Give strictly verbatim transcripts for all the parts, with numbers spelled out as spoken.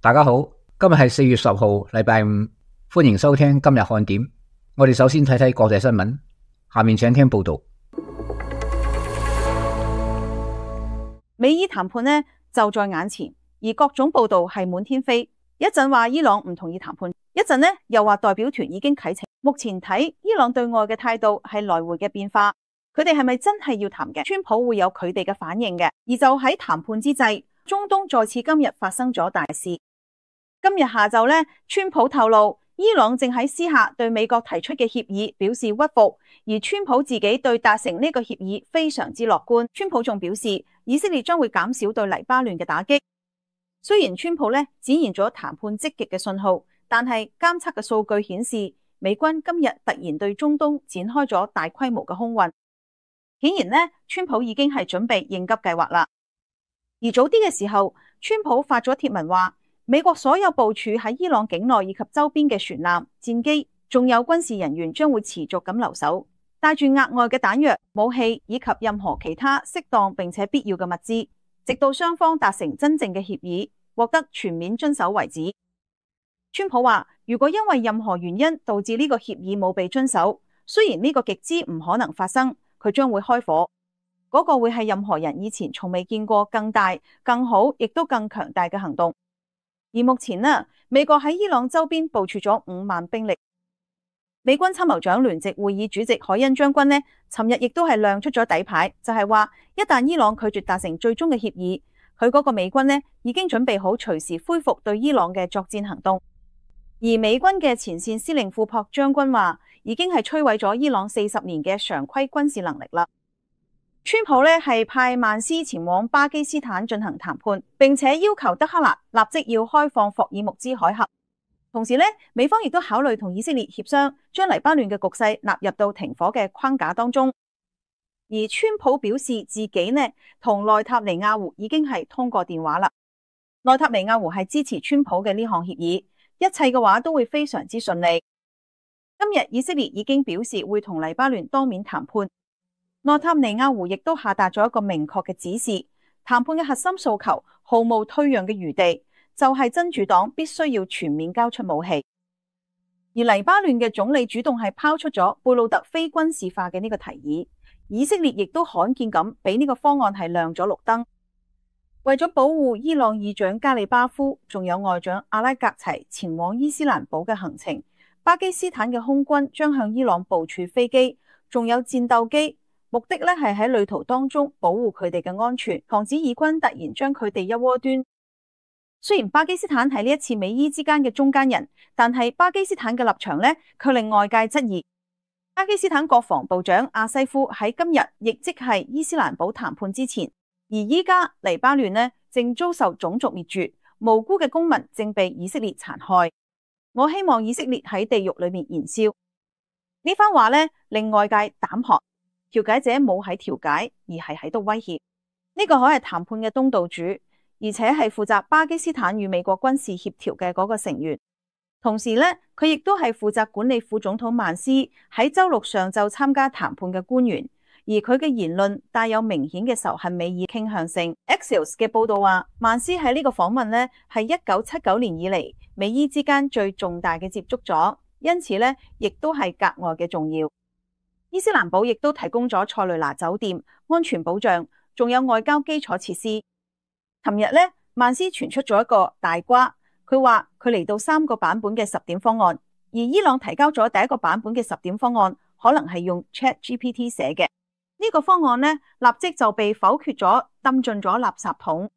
大家好，今日係四月十號，禮拜五，歡迎收聽今日看點。我哋首先睇睇國際新聞，下面請聽報道。美伊談判呢就在眼前，而各種報道係滿天飛。一陣話伊朗唔同意談判，一陣呢又話代表團已經啟程。目前睇伊朗對外嘅態度係來回嘅變化，佢哋係咪真係要談嘅？川普會有佢哋嘅反應嘅。而就喺談判之際，中東再次今日發生咗大事。今日下晝呢，川普透露伊朗正喺私下對美國提出嘅協議表示屈服，而川普自己對達成呢個協議非常之樂觀。川普仲表示以色列將會減少對黎巴嫩嘅打擊。雖然川普呢展現咗談判積極嘅信號，但係監測嘅數據顯示美軍今日突然對中東展開咗大規模嘅空運，顯然呢，川普已經係準備應急計劃啦。而早啲嘅時候，川普發咗貼文話，美國所有部署喺伊朗境內以及周邊嘅船艦、戰機，仲有軍事人員將會持續咁留守，帶住額外嘅彈藥、武器以及任何其他適當並且必要嘅物資，直到雙方達成真正嘅協議，獲得全面遵守為止。川普話，如果因為任何原因導致呢個協議冇被遵守，雖然呢個極之唔可能發生，佢將會開火。嗰個會係任何人以前從未見過更大、更好，亦都更強大嘅行動。而目前呢，美國喺伊朗周邊部署咗五萬兵力。美軍參謀長聯席會議主席海恩將軍呢，尋日亦都係亮出咗底牌，就係話一旦伊朗拒絕達成最終嘅協議，佢嗰個美軍呢已經準備好隨時恢復對伊朗嘅作戰行動。而美軍嘅前線司令庫珀將軍話，已經係摧毀咗伊朗四十年嘅常規軍事能力啦。川普呢係派曼斯前往巴基斯坦進行談判，並且要求德黑蘭立即要開放霍爾木茲海峽。同時呢，美方亦都考慮同以色列協商，將黎巴嫩嘅局勢納入到停火嘅框架當中。而川普表示自己呢同內塔尼亞胡已經係通過電話啦。內塔尼亞胡係支持川普嘅呢項協議，一切嘅話都會非常之順利。今日以色列已經表示會同黎巴嫩當面談判。內塔尼亞胡亦都下達咗一個明確嘅指示，談判嘅核心訴求毫無退讓嘅餘地，就係真主黨必須要全面交出武器。而黎巴嫩嘅總理主動係拋出咗貝魯特非軍事化嘅呢個提議，以色列亦都罕見咁俾呢個方案係亮咗綠燈。為咗保護伊朗議長加里巴夫，仲有外長阿拉格齊前往伊斯蘭堡嘅行程，巴基斯坦嘅空軍將向伊朗部署飛機，仲有戰鬥機。目的咧係喺旅途當中保護佢哋嘅安全，防止以軍突然將佢哋一窩端。雖然巴基斯坦係呢一次美伊之間嘅中間人，但係巴基斯坦嘅立場咧卻令外界質疑。巴基斯坦國防部長阿西夫喺今日，亦即係伊斯蘭堡談判之前，而依家黎巴嫩呢正遭受種族滅絕，無辜嘅公民正被以色列殘害。我希望以色列喺地獄裏面燃燒。呢番話咧令外界膽寒。調解者冇喺調解，而係喺度威脅。呢個可係談判嘅東道主，而且係負責巴基斯坦與美國軍事協調嘅嗰個成員。同時呢，佢亦都係負責管理副總統曼斯喺週六上晝參加談判嘅官員。而佢嘅言論帶有明顯嘅仇恨美意傾向性。Axios 嘅報道話，曼斯喺呢個訪問呢係一九七九年以嚟美伊之間最重大嘅接觸咗，因此呢亦都係格外嘅重要。伊斯蘭堡亦都提供咗塞雷拿酒店、安全保障，仲有外交基礎設施。尋日呢，曼斯傳出咗一個大瓜，佢話佢嚟到三個版本嘅十點方案，而伊朗提交咗第一個版本嘅十點方案，可能係用 Chat G P T 寫嘅。呢個方案呢，立即就被否決咗，抌進咗垃圾桶。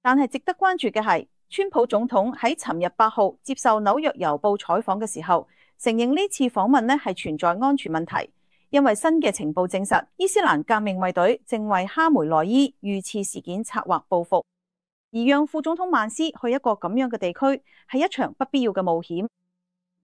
但係值得關注嘅係，川普總統喺尋日八號接受紐約郵報採訪嘅時候，承認呢次訪問呢係存在安全問題。因為新嘅情報證實，伊斯蘭革命衛隊正為哈梅內伊遇刺事件策劃報復，而讓副總統曼斯去一個咁樣嘅地區係一場不必要嘅冒險。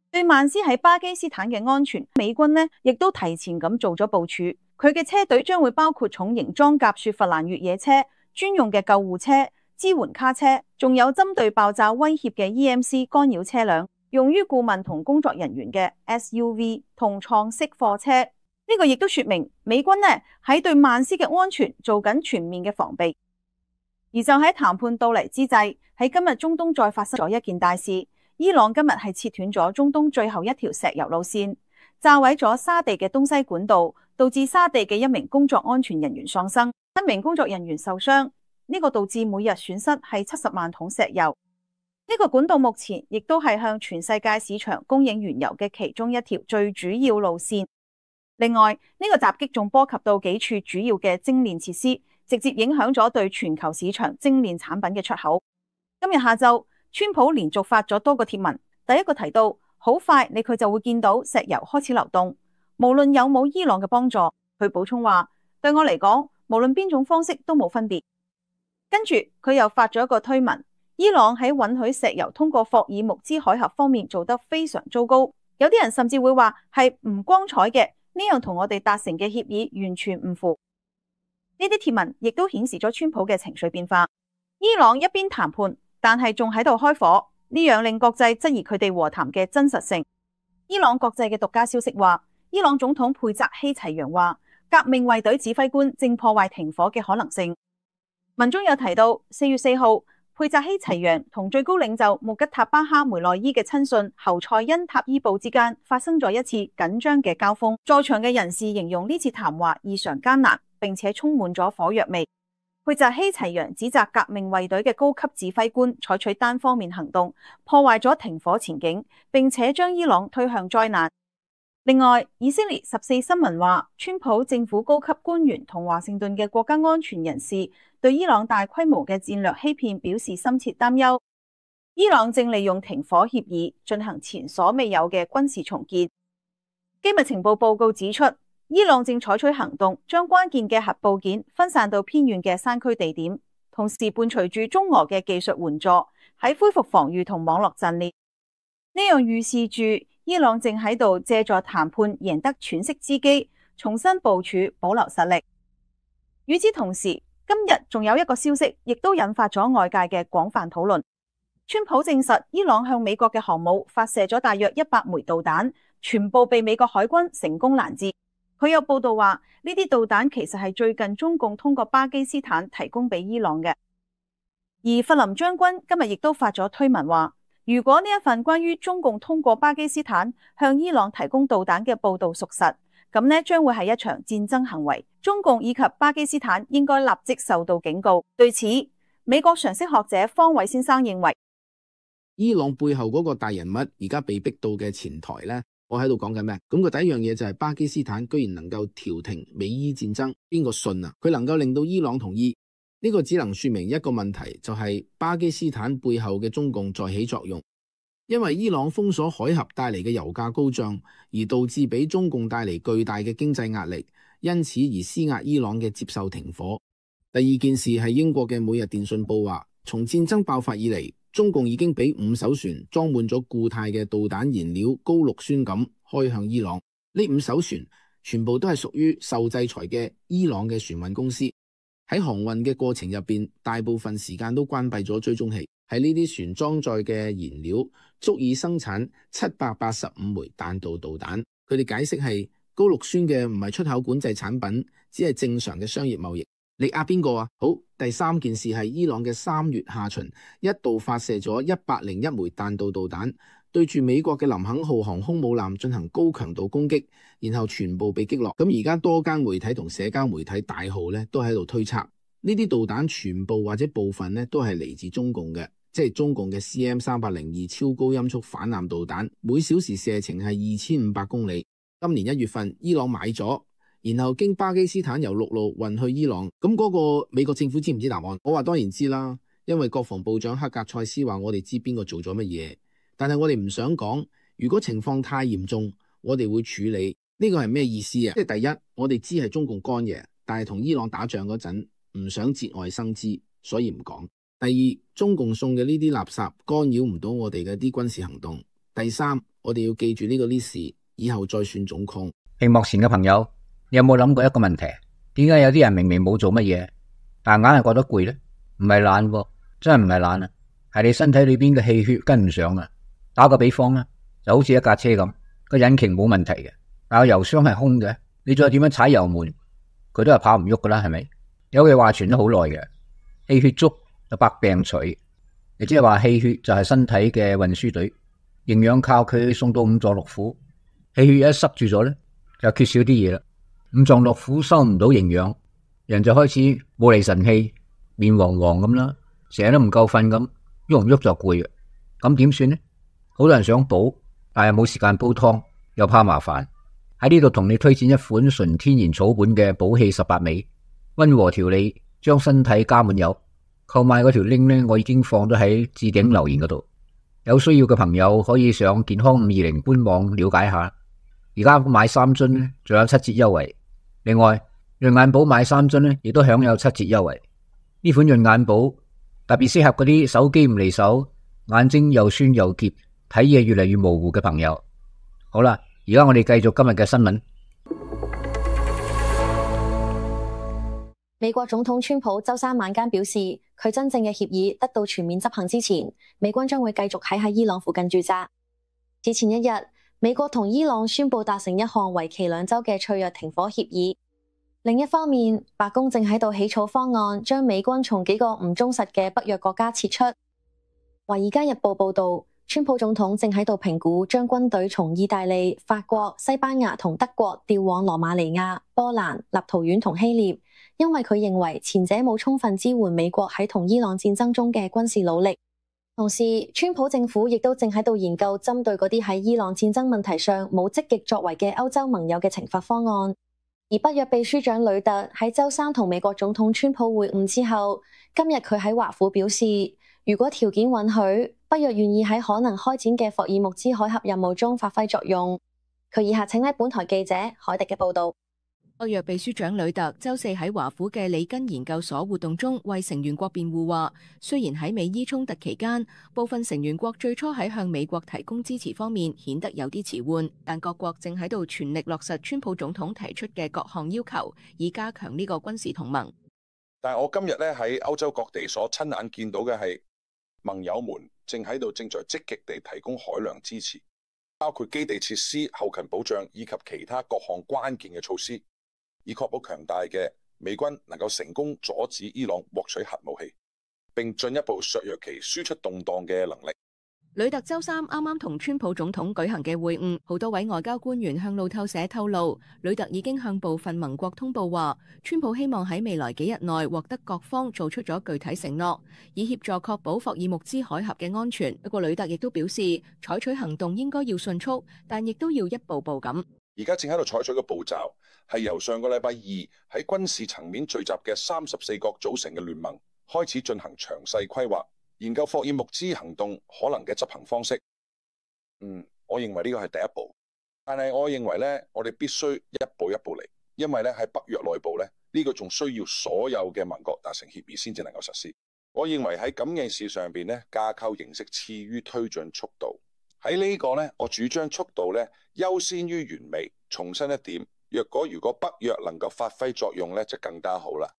對曼斯喺巴基斯坦嘅安全，美軍呢亦都提前咁做咗部署，佢嘅車隊將會包括重型裝甲雪佛蘭越野車、專用嘅救護車、支援卡車，仲有針對爆炸威脅嘅 E M C 干擾車輛，用於顧問同工作人員嘅 S U V 同創式貨車。呢個亦都說明美軍呢喺對曼斯嘅安全做緊全面嘅防備。而就喺談判到嚟之際，喺今日中東再發生咗一件大事。伊朗今日係切斷咗中東最後一條石油路線，炸毀咗沙地嘅東西管道，導致沙地嘅一名工作安全人員喪生，一名工作人員受傷。呢個導致每日損失係七十萬桶石油。呢個管道目前亦都係向全世界市場供應原油嘅其中一條最主要路線。另外，呢個襲擊仲波及到幾處主要嘅精煉設施，直接影響咗對全球市場精煉產品嘅出口。今日下晝，川普連續發咗多個貼文，第一個提到好快你佢就會見到石油開始流動，無論有冇伊朗嘅幫助。佢補充話，對我嚟講，無論邊種方式都冇分別。跟住佢又發咗一個推文，伊朗喺允許石油通過霍爾木茲海峽方面做得非常糟糕，有啲人甚至會話係唔光彩嘅，呢樣同我哋達成嘅協議完全唔符。呢啲貼文亦都顯示咗川普嘅情緒變化。伊朗一邊談判，但係仲喺度開火，呢樣令國際質疑佢哋和談嘅真實性。伊朗國際嘅獨家消息話，伊朗總統佩澤希齊揚話，革命衛隊指揮官正破壞停火嘅可能性。文中有提到，四月四號，佩澤希齊揚同最高領袖穆吉塔巴哈梅內伊嘅親信侯賽因塔伊布之間發生咗一次緊張嘅交鋒。在場嘅人士形容呢次談話異常艱難，並且充滿咗火藥味。佩澤希齊揚指責革命衛隊嘅高級指揮官採取單方面行動，破壞咗停火前景，並且將伊朗推向災難。另外，以色列十四新聞話，川普政府高級官員同華盛頓嘅國家安全人士對伊朗大規模嘅戰略欺騙表示深切擔憂。伊朗正利用停火協議進行前所未有嘅軍事重建。機密情報報告指出，伊朗正採取行動，將關鍵嘅核部件分散到偏遠嘅山區地點，同時伴隨住中俄嘅技術援助，喺恢復防禦同網絡陣列。呢樣預示住伊朗正喺度借助談判贏得喘息之機，重新部署保留實力。與此同時，今日仲有一個消息，亦都引發咗外界嘅廣泛討論。川普證實伊朗向美國嘅航母發射咗大約一百枚導彈，全部被美國海軍成功攔截。佢有報道話，呢啲導彈其實係最近中共通過巴基斯坦提供俾伊朗嘅。而弗林將軍今日亦都發咗推文話，如果呢一份關於中共通過巴基斯坦向伊朗提供導彈嘅報道屬實，咁呢將會係一場戰爭行為，中共以及巴基斯坦應該立即受到警告。對此，美國常識學者方偉先生認為，伊朗背後嗰個大人物而家被逼到嘅前台呢，我喺度講緊咩？咁個第一樣嘢就係巴基斯坦居然能夠調停美伊戰爭，邊個信啊？佢能夠令到伊朗同意，呢個只能說明一個問題，就係巴基斯坦背後嘅中共在起作用。因為伊朗封鎖海峽帶嚟嘅油價高漲，而導致俾中共帶嚟巨大嘅經濟壓力，因此而施壓伊朗嘅接受停火。第二件事係英國嘅每日電訊報話，從戰爭爆發以嚟，中共已經俾五艘船裝滿咗固態嘅導彈燃料高氯酸鈉開向伊朗。呢五艘船全部都係屬於受制裁嘅伊朗嘅船運公司。喺航運嘅過程入邊，大部分時間都關閉咗追蹤器。喺呢啲船裝載嘅燃料足以生產七百八十五枚彈道導彈。佢哋解釋係高氯酸嘅唔係出口管制產品，只係正常嘅商業貿易。你呃邊個啊？好，第三件事係伊朗嘅三月下旬一度發射咗一百零一枚彈道導彈，對住美國嘅林肯號航空母艦進行高強度攻擊，然後全部被擊落。咁而家多間媒體同社交媒體大號咧都喺度推測，呢啲導彈全部或者部分咧都係嚟自中共嘅，即係中共嘅 C M 三零二超高音速反艦導彈，每小時射程係二千五百公里。今年一月份，伊朗買咗，然後經巴基斯坦由陸路運去伊朗。咁嗰個美國政府知唔知答案？我話當然知啦，因為國防部長克格塞斯話我哋知邊個做咗乜嘢，但係我哋唔想講。如果情況太嚴重，我哋會處理。呢個係咩意思啊？即係第一，我哋知係中共幹嘢，但係同伊朗打仗嗰陣唔想節外生枝，所以唔講。第二，中共送嘅呢啲垃圾干擾唔到我哋嘅啲軍事行動。第三，我哋要記住呢個 list， 以後再算總控。屏幕前嘅朋友，你有冇諗過一個問題？點解有啲人明明冇做乜嘢，但硬係覺得攰呢？唔係懶喎，真係唔係懶啊，係你身體裏邊嘅氣血跟唔上啊。打個比方啦，就好似一架車咁，個引擎冇問題嘅，但係油箱係空嘅，你再點樣踩油門，佢都係跑唔喐噶啦，係咪？有句話傳咗好耐嘅，氣血足就百病除，亦即係話氣血就係身體嘅運輸隊，營養靠佢送到五臟六腑，氣血一塞住咗咧，就缺少啲嘢啦。五臟六腑收唔到營養，人就開始冇嚟神氣，面黃黃咁啦，成日都唔夠瞓咁，喐唔喐就攰嘅。咁點算呢？好多人想補，但係冇時間煲湯，又怕麻煩。喺呢度同你推薦一款純天然草本嘅補氣十八味，溫和調理，將身體加滿油。購買嗰條 link 咧，我已經放咗喺置頂留言嗰度，有需要嘅朋友可以上健康五二零官網了解下。而家買三樽咧，仲有七折優惠。另外，潤眼寶買三樽咧，亦都享有七折優惠。呢款潤眼寶特別適合嗰啲手機唔離手，眼睛又酸又澀，睇嘢越嚟越模糊嘅朋友。好啦，而家我哋繼續今日嘅新聞。美國總統川普周三晚間表示，佢真正嘅協議得到全面執行之前，美軍將會繼續喺喺伊朗附近駐紮。此前一日，美國同伊朗宣布達成一項為期兩週嘅脆弱停火協議。另一方面，白宮正喺度起草方案，將美軍從幾個唔忠實嘅北約國家撤出。《華爾街日報》報道，川普總統正喺度評估將軍隊從意大利、法國、西班牙同德國調往羅馬尼亞、波蘭、立陶宛同希臘。因為佢認為前者冇充分支援美國喺同伊朗戰爭中嘅軍事努力，同時川普政府亦都正喺度研究針對嗰啲喺伊朗戰爭問題上冇積極作為嘅歐洲盟友嘅懲罰方案。而北約秘書長呂特喺周三同美國總統川普會晤之後，今日佢喺華府表示，如果條件允許，北約願意喺可能開展嘅霍爾木茲海峽任務中發揮作用。佢以下請睇本台記者海迪嘅報道。北約秘書長呂特周四喺華府嘅里根研究所活動中為成員國辯護話，雖然喺美伊衝突期間，部分成員國最初喺向美國提供支持方面顯得有啲遲緩，但各國正喺度全力落實川普總統提出嘅各項要求，以加強呢個軍事同盟。但係我今日咧喺歐洲各地所親眼見到嘅係盟友們正喺度正在積極地提供海量支持，包括基地設施、後勤保障以及其他各項關鍵嘅措施，以確保強大嘅美軍能夠成功阻止伊朗獲取核武器，並進一步削弱其輸出動盪嘅能力。呂特周三啱啱同川普總統舉行嘅會晤，好多位外交官員向路透社透露，呂特已經向部分盟國通報話，川普希望喺未來幾日內獲得各方做出咗具體承諾，以協助確保霍爾木茲海峽嘅安全。不過呂特亦都表示，採取行動應該要迅速，但亦都要一步步咁。而家正喺度採取嘅步驟係由上個禮拜二喺軍事層面聚集嘅三十四國組成嘅聯盟開始進行詳細規劃，研究霍爾木茲行動可能嘅執行方式。嗯，我認為呢個係第一步，但係我認為咧，我哋必須一步一步嚟，因為咧喺北約內部咧，呢個仲需要所有嘅盟國達成協議先至能夠實施。我認為喺咁嘅事上邊咧，架構形式次於推進速度。喺呢個咧，我主張速度咧優先於完美。重申一點，若果如果北約能夠發揮作用咧，就更加好啦。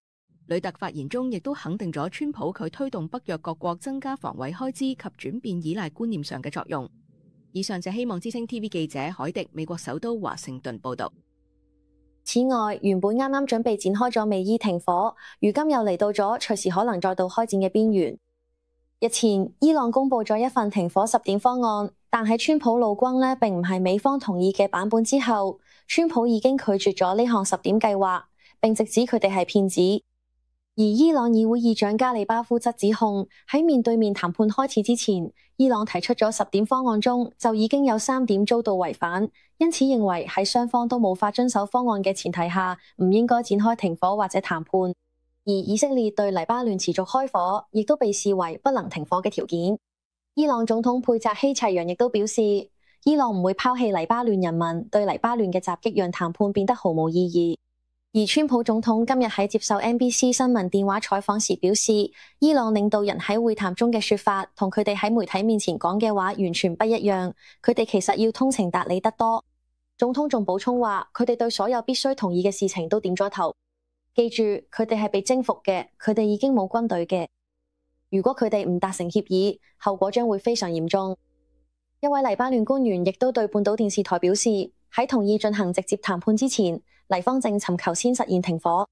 呂特發言中亦都肯定咗川普佢推動北約各國增加防衛開支及轉變依賴觀念上嘅作用。以上就希望之聲 T V 記者海迪美國首都華盛頓報道。此外，原本啱啱準備展開咗美伊停火，如今又嚟到咗隨時可能再度開戰嘅邊緣。日前，伊朗公布咗一份停火十點方案，但喺川普怒轟呢並唔係美方同意嘅版本之後，川普已經拒絕咗呢項十點計劃，並直指佢哋係騙子。而伊朗議會議長加里巴夫則指控喺面對面談判開始之前，伊朗提出咗十點方案中就已經有三點遭到違反，因此認為喺雙方都無法遵守方案嘅前提下，唔應該展開停火或者談判。而以色列對黎巴嫩持續開火，亦都被視為不能停火嘅條件。伊朗總統佩扎希齊揚亦都表示，伊朗唔會拋棄黎巴嫩人民，對黎巴嫩嘅襲擊讓談判變得毫無意義。而川普總統今日喺接受 N B C 新聞電話採訪時表示，伊朗領導人喺會談中嘅說法同佢哋喺媒體面前講嘅話完全不一樣，佢哋其實要通情達理得多。總統仲補充話，佢哋對所有必須同意嘅事情都點咗頭。記住，佢哋係被征服嘅，佢哋已經冇軍隊嘅。如果佢哋唔達成協議，後果將會非常嚴重。一位黎巴嫩官員亦都對半島電視台表示，喺同意進行直接談判之前，黎方正尋求先實現停火。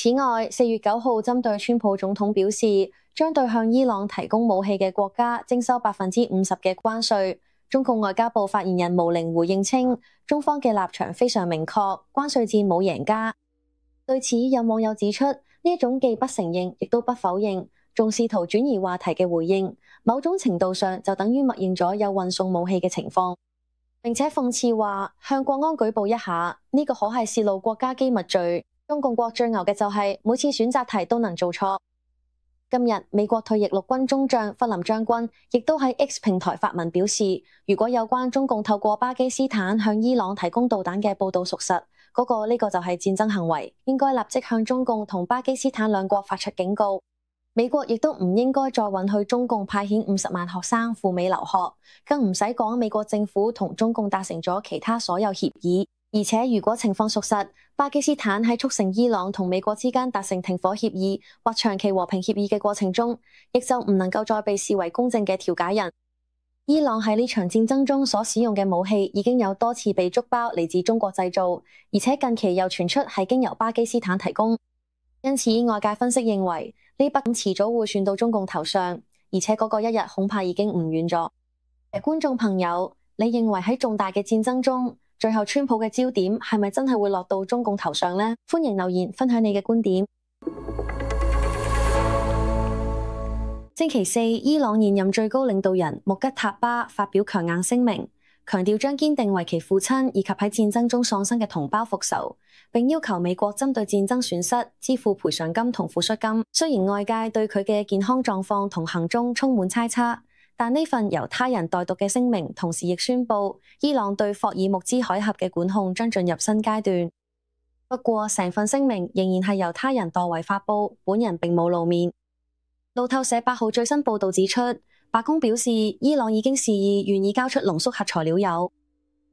此外，四月九號針對川普總統表示將對向伊朗提供武器嘅國家徵收百分之五十嘅關稅。中共外交部發言人毛寧回應稱，中方嘅立場非常明確，關稅戰冇贏家。對此，有網友指出，呢一種既不承認亦都不否認，仲試圖轉移話題嘅回應，某種程度上就等於默認咗有運送武器嘅情況，並且諷刺話向國安舉報一下，呢、這個可係洩露國家機密罪。中共國最牛嘅就係每次選擇題都能做錯。今日美國退役陸軍中將弗林將軍亦都喺 X 平台發文表示，如果有關中共透過巴基斯坦向伊朗提供導彈嘅報道屬實，嗰、那個呢個就係戰爭行為，應該立即向中共同巴基斯坦兩國發出警告。美國亦都唔應該再允許中共派遣五十萬學生赴美留學，更唔使講美國政府同中共達成咗其他所有協議。而且如果情況屬實，巴基斯坦喺促成伊朗同美國之間達成停火協議或長期和平協議嘅過程中，亦就唔能夠再被視為公正嘅調解人。伊朗喺呢場戰爭中所使用嘅武器已經有多次被捉包嚟自中國製造，而且近期又傳出係經由巴基斯坦提供。因此外界分析認為，呢筆遲早會算到中共頭上，而且嗰個一日恐怕已經唔遠咗。觀眾朋友，你認為喺重大嘅戰爭中，最後川普嘅焦點係咪真係會落到中共頭上呢？歡迎留言分享你嘅觀點。星期四，伊朗現任最高領導人穆吉塔巴發表強硬聲明，強調將堅定為其父親以及喺戰爭中喪生嘅同胞復仇，並要求美國針對戰爭損失支付賠償金同撫恤金。雖然外界對佢嘅健康狀況同行蹤充滿猜測，但呢份由他人代讀嘅聲明，同時亦宣布伊朗對霍爾木茲海峽嘅管控將進入新階段。不過，成份聲明仍然係由他人代為發布，本人並冇露面。路透社八號最新報導指出，白宮表示伊朗已經示意願意交出濃縮核材料鈾，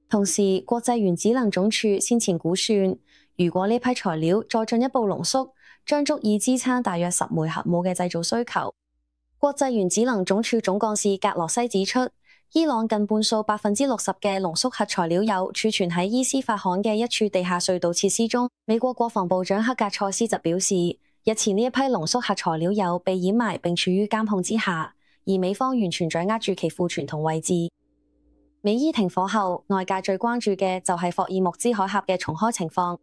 同時國際原子能總署先前估算，如果呢批材料再進一步濃縮，將足以支撐大約十枚核武嘅製造需求。國際原子能總署總幹事格羅西指出，伊朗近半數百分之六十嘅濃縮核材料鈾儲存喺伊斯法罕嘅一處地下隧道設施中。美國國防部長克格塞斯就表示，日前呢一批濃縮核材料鈾被掩埋並處於監控之下，而美方完全掌握住其庫存同位置。美伊停火後，外界最關注嘅就係霍爾木茲海峽嘅重開情況。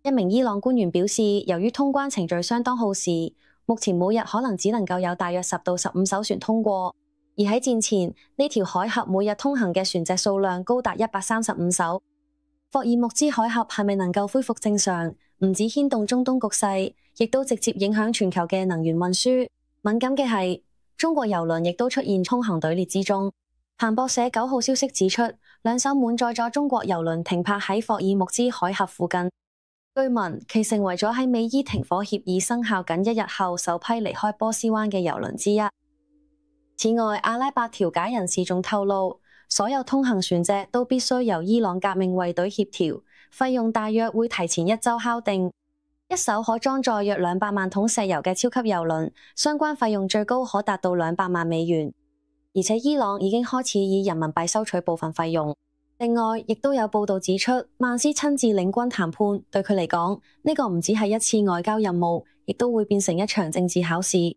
一名伊朗官員表示，由於通關程序相當耗時，目前每日可能只能夠有大約十到十五艘船通過，而喺戰前呢條海峽每日通行嘅船隻數量高達一百三十五艘。霍爾木茲海峽係咪能夠恢復正常，唔止牽動中東局勢，亦都直接影響全球嘅能源運輸。敏感嘅係，中國郵輪亦都出現通行隊列之中。彭博社九號消息指出，兩艘滿載咗中國郵輪停泊喺霍爾木茲海峽附近。據聞其成為咗喺美伊停火協議生效僅一日後首批離開波斯灣嘅郵輪之一。此外，阿拉伯調解人士仲透露，所有通行船隻都必須由伊朗革命衛隊協調，費用大約會提前一周敲定。一艘可裝載約兩百萬桶石油嘅超級郵輪，相關費用最高可達到兩百萬美元，而且伊朗已經開始以人民幣收取部分費用。另外，亦都有報道指出，曼斯親自領軍談判，對佢嚟講，呢個唔只係一次外交任務，亦都會變成一場政治考試。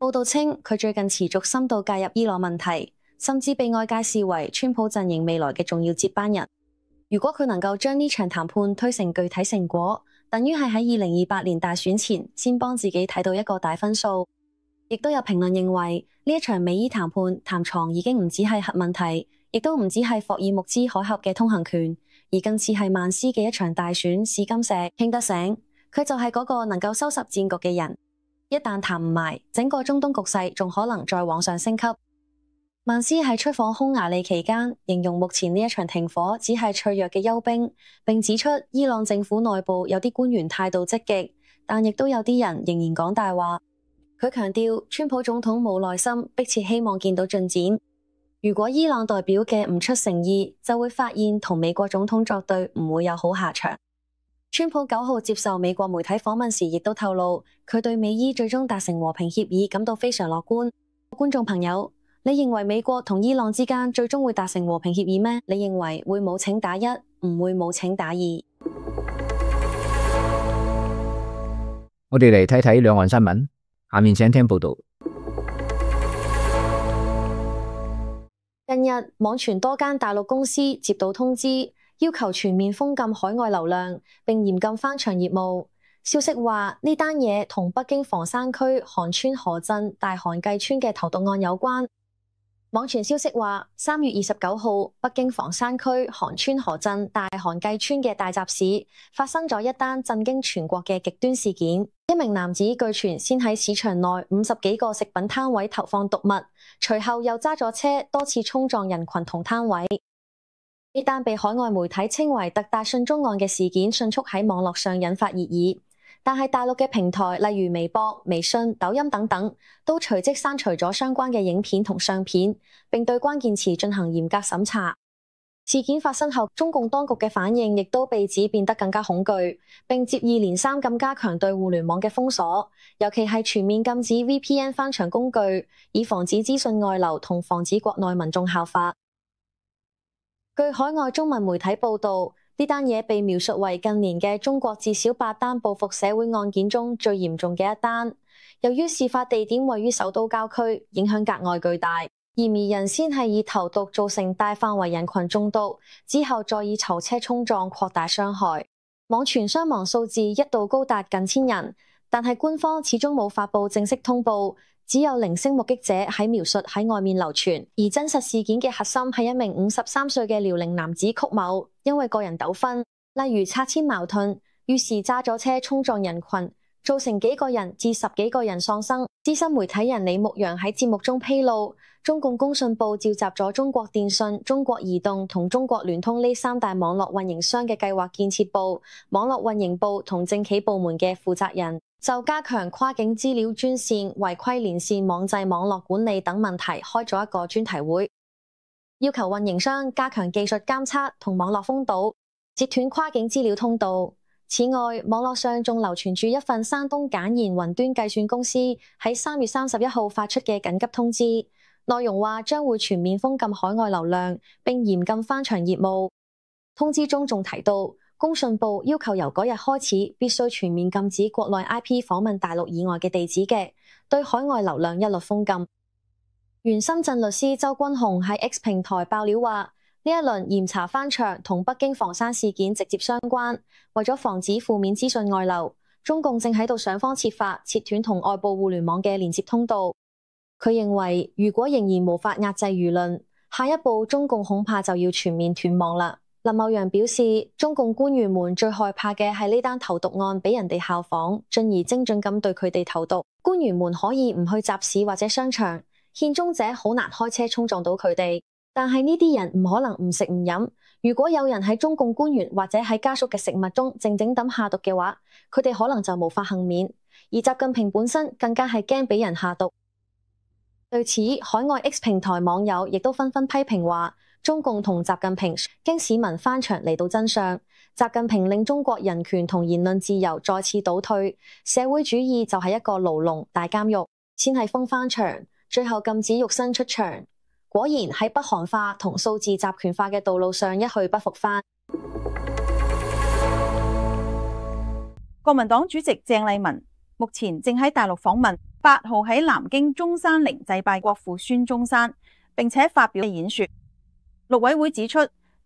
報道稱，佢最近持續深度介入伊朗問題，甚至被外界視為川普陣營未來嘅重要接班人。如果佢能夠將呢場談判推成具體成果，等於係喺二零二八年大選前先幫自己睇到一個大分數。亦都有評論認為，呢一場美伊談判談床已經唔只係核問題，亦都唔止係霍爾木茲海峽嘅通行權，而更似係曼斯嘅一場大選試金石。傾得醒，佢就係嗰個能夠收拾戰局嘅人。一旦談唔埋，整個中東局勢仲可能再往上升級。曼斯喺出訪匈牙利期間，形容目前呢一場停火只係脆弱嘅休兵，並指出伊朗政府內部有啲官員態度積極，但亦都有啲人仍然講大話。佢強調，川普總統冇耐心，迫切希望見到進展。如果伊朗代表嘅唔出誠意，就會發現同美國總統作對唔會有好下場。川普九號接受美國媒體訪問時，亦都透露佢對美伊最終達成和平協議感到非常樂觀。觀眾朋友，你認為美國同伊朗之間最終會達成和平協議咩？你認為會冇請打一，唔會冇請打二？我哋嚟睇睇兩岸新聞，下面請聽報道。近日網傳多間大陸公司接到通知，要求全面封禁海外流量，並嚴禁翻牆業務。消息話呢單嘢同北京房山區韓川河鎮大韓計村嘅投毒案有關。網傳消息話，三月二十九號，北京房山區韓川河鎮大韓計村嘅大集市發生咗一單震驚全國嘅極端事件。一名男子據傳先喺市場內五十幾個食品攤位投放毒物，隨後又揸咗車多次衝撞人群同攤位。呢單被海外媒體稱為特大信中案嘅事件，迅速喺網絡上引發熱議。但係大陸嘅平台，例如微博、微信、抖音等等，都隨即刪除咗相關嘅影片同相片，並對關鍵詞進行嚴格審查。事件發生後，中共當局嘅反應亦都被指變得更加恐懼，並接二連三咁加強對互聯網嘅封鎖，尤其係全面禁止 V P N 翻牆工具，以防止資訊外流同防止國內民眾效法。據海外中文媒體報導，呢單嘢被描述為近年嘅中國至少八單報復社會案件中最嚴重嘅一單。由於事發地點位於首都郊區，影響格外巨大，嫌疑人先係以投毒造成大範圍人群中毒，之後再以囚車衝撞擴大傷害。網傳傷亡數字一度高達近千人，但係官方始終冇發布正式通報。只有零星目擊者喺描述喺外面流傳，而真實事件嘅核心係一名五十三歲嘅遼寧男子曲某，因為個人糾紛，例如拆遷矛盾，於是揸咗車衝撞人群，造成幾個人至十幾個人喪生。資深媒體人李牧陽喺節目中披露，中共工信部召集咗中國電信、中國移動同中國聯通呢三大網絡運營商嘅計劃建設部、網絡運營部同政企部門嘅負責人，就加強跨境資料專線、違規連線網際網絡管理等問題開咗一個專題會，要求運營商加強技術監測同網絡封堵，截斷跨境資料通道。此外，網絡上仲流傳住一份山東簡言雲端計算公司喺三月三十一號發出嘅緊急通知，內容話將會全面封禁海外流量，並嚴禁翻牆業務。通知中仲提到，工信部要求由嗰日開始必須全面禁止國內 I P 訪問大陸以外嘅地址嘅，對海外流量一律封禁。原深圳律師周君雄喺 X 平台爆料話，呢一輪嚴查翻牆同北京房山事件直接相關，為咗防止負面資訊外流，中共正喺度想方設法切斷同外部互聯網嘅連接通道。佢認為，如果仍然無法壓制輿論，下一步中共恐怕就要全面斷網啦。林茂陽表示，中共官員們最害怕嘅係呢單投毒案俾人哋效仿，進而精準咁對佢哋投毒。官員們可以唔去集市或者商場，獻中者好難開車衝撞到佢哋。但係呢啲人唔可能唔食唔飲。如果有人喺中共官員或者喺家屬嘅食物中靜靜咁下毒嘅話，佢哋可能就無法幸免。而習近平本身更加係驚俾人下毒。對此，海外 X 平台網友亦都紛紛批評話，中共同習近平經市民翻牆嚟到真相，習近平令中國人權同言論自由再次倒退，社會主義就係一個牢籠大監獄，先係封翻牆，最後禁止肉身出牆。果然喺北韓化同數字集權化嘅道路上一去不復返。國民黨主席鄭麗文目前正喺大陸訪問，八號喺南京中山陵祭拜國父孫中山，並且發表演說。陸委會指出，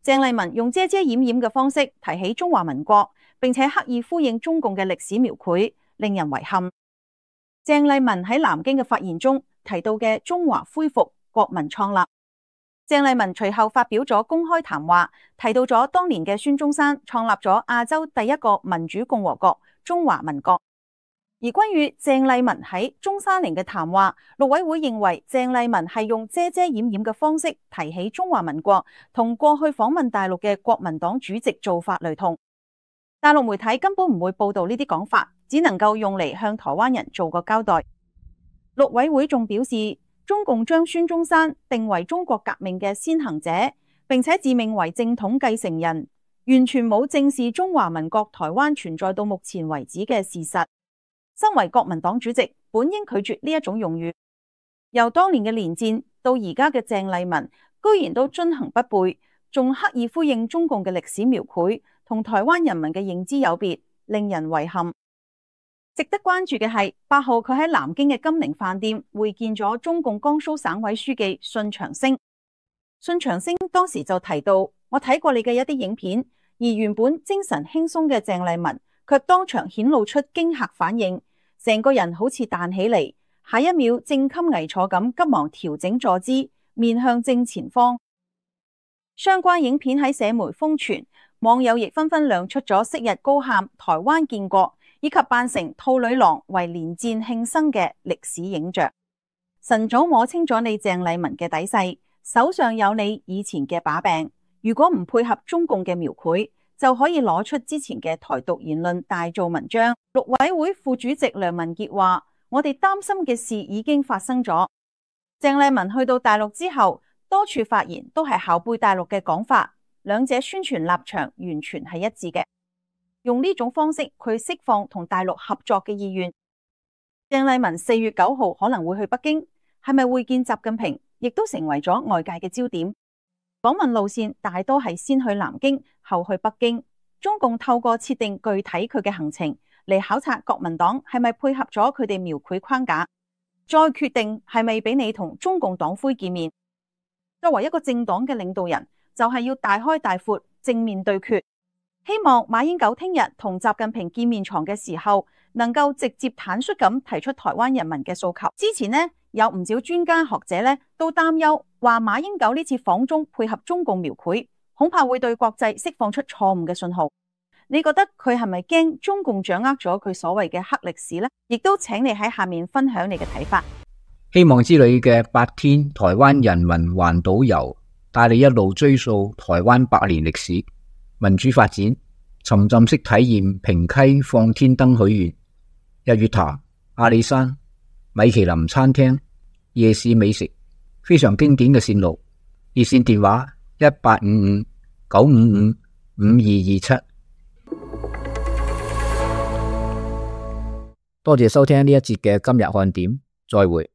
鄭麗文用遮遮掩掩嘅方式提起中華民國，並且刻意呼應中共嘅歷史描繪，令人遺憾。鄭麗文喺南京嘅發言中提到嘅中華恢復、國民創立，鄭麗文隨後發表咗公開談話，提到咗當年嘅孫中山創立咗亞洲第一個民主共和國中華民國。而關於鄭麗文喺中山陵嘅談話，陸委會認為鄭麗文係用遮遮掩掩嘅方式提起中華民國，同過去訪問大陸嘅國民黨主席做法雷同。大陸媒體根本唔會報道呢啲講法，只能夠用嚟向台灣人做個交代。陸委會仲表示，中共將孫中山定為中國革命嘅先行者，並且自命為正統繼承人，完全冇正視中華民國台灣存在到目前為止嘅事實。身為國民黨主席，本應拒絕呢一種用語。由當年嘅連戰到而家嘅鄭麗文，居然都遵行不悖，仲刻意呼應中共嘅歷史描繪，同台灣人民嘅認知有別，令人遺憾。值得關注嘅係八號佢喺南京嘅金陵飯店會見咗中共江蘇省委書記信長星。信長星當時就提到，我睇過你嘅一啲影片，而原本精神輕鬆嘅鄭麗文卻當場顯露出驚嚇反應，成個人好似彈起嚟，下一秒正襟危坐咁急忙調整坐姿，面向正前方。相關影片喺社媒瘋傳，網友亦紛紛亮出咗昔日高喊台灣建國以及扮成兔女郎為連戰慶生嘅歷史影像。晨早摸清咗你鄭麗文嘅底細，手上有你以前嘅把柄，如果唔配合中共嘅描繪，就可以攞出之前嘅台獨言論大做文章。陸委會副主席梁文傑話，我哋擔心嘅事已經發生咗。鄭麗文去到大陸之後，多處發言都係校背大陸嘅講法，兩者宣傳立場完全係一致嘅。用呢種方式去釋放同大陸合作嘅意願。鄭麗文四月九號可能會去北京，係咪會見習近平，亦都成為咗外界嘅焦點。訪問路線大多係先去南京，後去北京。中共透過設定具體佢嘅行程嚟考察國民黨係咪配合咗佢哋描繪框架，再決定係咪俾你同中共黨魁見面。作為一個政黨嘅領導人，就係要大開大闊正面對決。希望馬英九聽日同習近平見面床嘅時候，能夠直接坦率咁提出台灣人民嘅訴求。之前呢，有唔少專家學者呢都擔憂，話馬英九呢次訪中配合中共描繪，恐怕會對國際釋放出錯誤嘅信號。你覺得佢係咪驚中共掌握咗佢所謂嘅黑歷史呢？亦都請你喺下面分享你嘅睇法。希望之旅嘅八天台灣人民環島遊，帶你一路追溯台灣百年歷史、民主發展，沉浸式體驗平溪放天燈許願、日月潭、阿里山、米其林餐廳、夜市美食，非常經典嘅線路。熱線電話一八五五九五五五二二七。多謝收聽呢一節嘅今日看點，再會。